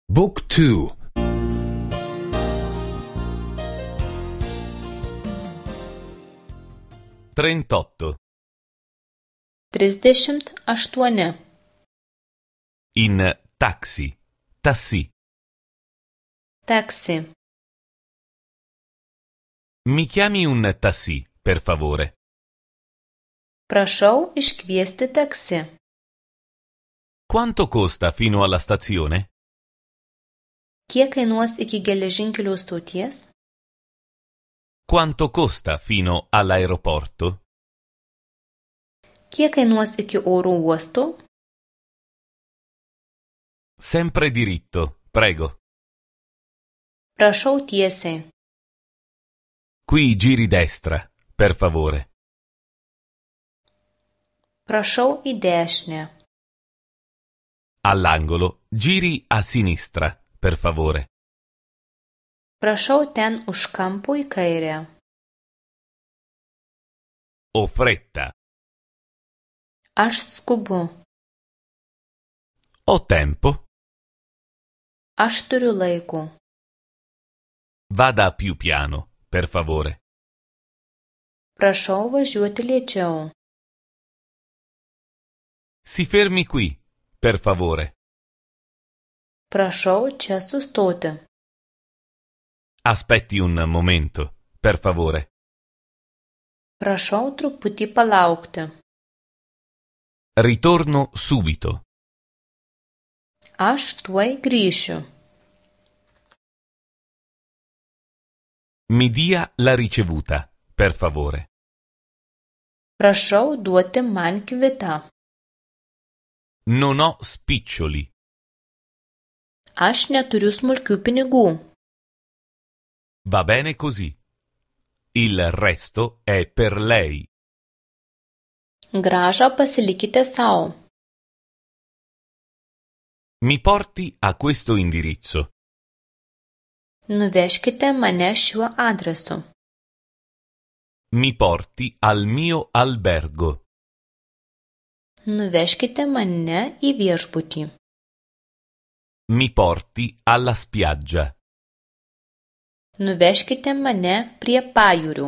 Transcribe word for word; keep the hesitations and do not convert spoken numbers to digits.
Book two. trentotto. Trisdešimt aštuoni. In taxi. Tassì. Taksi. Mi chiami un tassì, per favore? Prašau iškviesti taksi. Quanto costa fino alla stazione? Kiek kainuos iki geležinkelio stoties? Quanto costa fino all'aeroporto? Kiek kainuos iki oro uosto? Sempre diritto, prego. Prašau tiesiai. Qui giri destra, per favore. Prašau į dešinę. All'angolo giri a sinistra, per favore. Prašau ten už kampo į kairę. Ho fretta. Aš skubu. Ho tempo. Aš turiu laiko. Vada più piano, per favore. Prašau važiuoti lėčiau. Si fermi qui, per favore. Prašau čia sustoti. Aspetti un momento, per favore. Prašau truputį palaukti. Ritorno subito. Aš tuoj grįšiu. Mi dia la ricevuta, per favore. Prašau duoti man kvitą. Non ho spiccioli. Aš neturiu smulkių pinigų. Va bene così. Il resto è per lei. Grąžą pasilikite sau. Mi porti a questo indirizzo. Nuvežkite mane šiuo adresu. Mi porti al mio albergo. Nuvežkite mane į viešbutį. Mi porti alla spiaggia. Nuvežkite mane prie pajūrių.